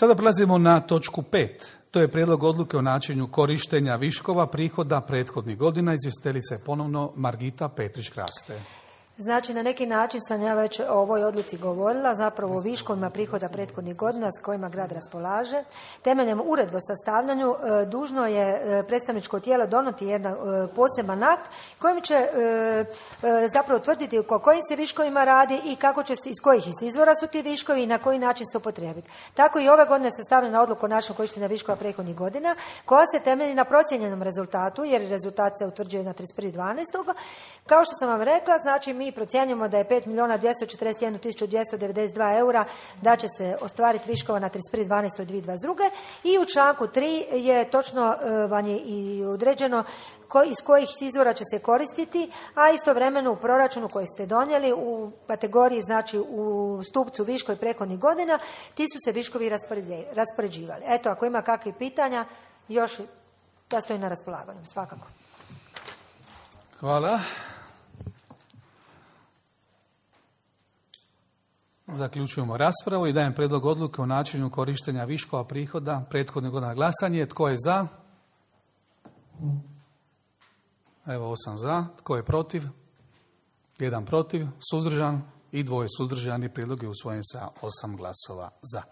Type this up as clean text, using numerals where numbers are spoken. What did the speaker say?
Sada prelazimo na točku 5. To je prijedlog odluke o načinu korištenja viškova prihoda prethodnih godina. Izvjestiteljica je ponovno Margita Petrić-Kraste. Znači, na neki način sam ja već o ovoj odluci govorila, zapravo o viškovima prihoda prethodnih godina s kojima grad raspolaže. Temeljem uredbe o sastavljanju dužno je predstavničko tijelo donijeti jedan poseban akt kojim će zapravo tvrditi o kojim se viškovima radi i kako će se, iz kojih izvora su ti viškovi i na koji način se upotrijebiti. Tako i ove godine sastavljena odluka o načinu korištenja viškova prethodnih godina koja se temelji na procijenjenom rezultatu, jer rezultat se utvrđuje na 31.12. Kao što sam vam rekla, znači mi procjenjujemo da je 5.241.292 eura da će se ostvariti viškova na 31.12.2022. I u članku 3 je točno vam je i određeno iz kojih izvora će se koristiti, a istovremeno u proračunu koji ste donijeli u kategoriji, znači u stupcu viškovi prethodnih godina, ti su se viškovi raspoređivali. Eto, ako ima kakvih pitanja, još da stoji na raspolaganju, svakako. Hvala. Zaključujemo raspravu i dajem prijedlog odluke o načinu korištenja viškova prihoda prethodnih godina. Glasanje. Tko je za? Evo 8 za. Tko je protiv? 1 protiv. Suzdržan i 2 suzdržani. Prijedlog je usvojen sa 8 glasova za.